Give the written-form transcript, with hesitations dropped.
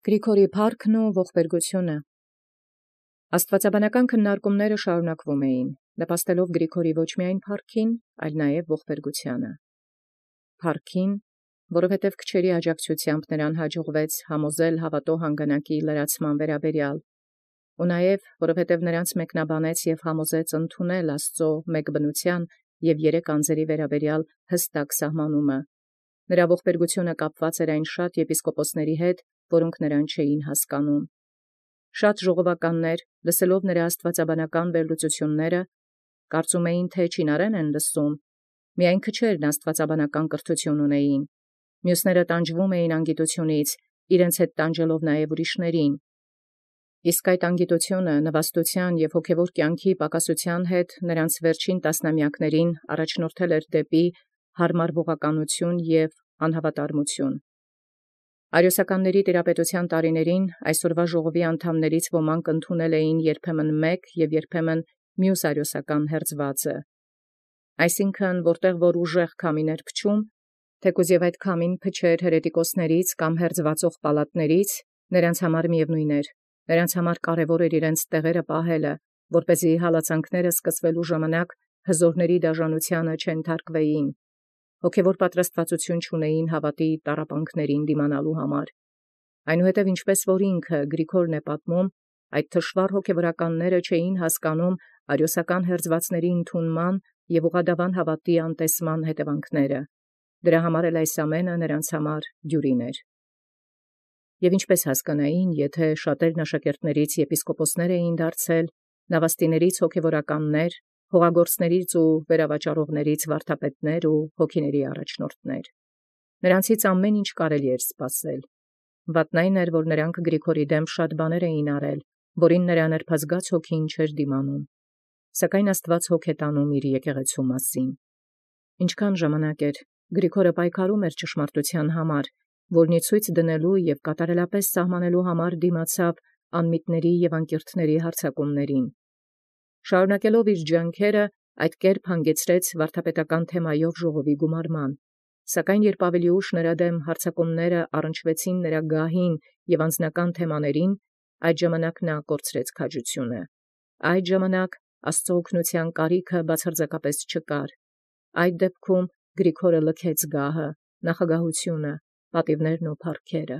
Գրիգորի փառքն և ողբերգութիւնը։ Աստուածաբանական քննարկումները շարունակվում էին, նպաստելով Գրիգորի ոչ միայն փառքին, այլ նաև ողբերգութեանը։ Փառքին, որովհետև քչերի աջակցութեամբ նրան յաջողվեց համոզել հաւատոյ հանգանակի լրացման վերաբերյալ, և նաև որովհետև նրանց մեկնաբանեց և համոզեց ընդունել Աստուծոյ մեկ բնութեան և երեք անձերու վերաբերյալ հստակ սահմանումը։ Նրա ողբերգութիւնը կապված էր այն շատ եպիսկոպոսացն հետ, որոնք նրան հասկանում չէին։ Շատ ժողովականներ, լսելով նրա աստուածաբանական վերլուծութիւնս, կարծում էին, թէ չինարեն լսում, միայն քչերն աստուածաբանական կրթութիւն ունէին, մյուսները տանջվում էին անգիտութիւնից, իրենց հետ տանջելով նաև ուրիշներին։ Իսկ այդ անգիտութիւնը նվաստութեան և հոգևոր կյանքի պակասութեան հետ նրանց վերջին տասնամեակացն առաջնորդել էր դեպի հարմարվողականութիւն և անհաւատարմութիւն։ Արիոսականացն տիրապետութեան տարիներին այսօրվա ժողովոյն անդամացն ոմանք ընդունել էին երբեմն մեկ և երբեմն մյուս արիոսական հերձուածն, այսինքն՝ որտեղ որ ուժեղ քամին փչէր, թէքուզ և այդ քամին փչէր հերետիկոսաց կամ հերձուածող պալատաց, նոցանց միևնույն էր, նոցանց կարևոր էր իրենց տեղիսն պահել, որպէսզի հալածանքն սկսելոյ ժամանակ հզորացն դաժանութեանն չենթարկվեին, հոգևոր պատրաստվածութիւն չունէին հաւատոյ տառապանքացն դիմանալու համար։ Այնուհետև ինչպէս որ ինքն Գրիգորն պատմէ, այդ թշուառ հոգևորականացն չէին հասկանում արիոսական հերձուածացն ընդունման և ուղղադավան հաւատոյ անտեսման հետևանքս. դրա համար էլ այս ամենայն նոցա դիւրին էր։ Եւ ինչպէս հասկանային, եթէ շատերն աշակերտացն եպիսկոպոսացն էին դարձել, նավաստիցն հոգևորականներ, հողագործաց և վերապաճառողաց վարդապետներ և հոգիաց առաջնորդներ։ Նոցանց ամենայն ինչ կարելի էր սպասել։ Վատն այն էր, որ նոցա Գրիգորի դէմ բազում բաներ արել, որին նրա նրբազգաց հոգին չէր դիմանում, սակայն Աստուած հոգ տանէր եկեղեցւոյ։ Ինչքան ժամանակ էր, Գրիգորը պայքարում էր ճշմարտութեան համար, որոյ ցույց դնելու և կատարելապէս սահմանելու համար դիմացավ անմիտացն և անկիրքն հարձակումացն։ Շարունակելով ջանքերն, այդ կերպ հանգեցրեց վարդապետական թեմայով ժողովոյն գումարման, սակայն յորժամ ավելի ուշ նրա դէմ հարձակումքն առնչվեցին նրա գահին և անձնական թեմաներին, այդ ժամանակ կորցրեց քաջութիւնն։ Այդ ժամանակ Աստուծոյ օգնութեան կարիք բացարձակապէս չկար։ Այդ դեպքում Գրիգորը լքեց գահը, նախագահութիւնը, պատիւներն և փառքերը։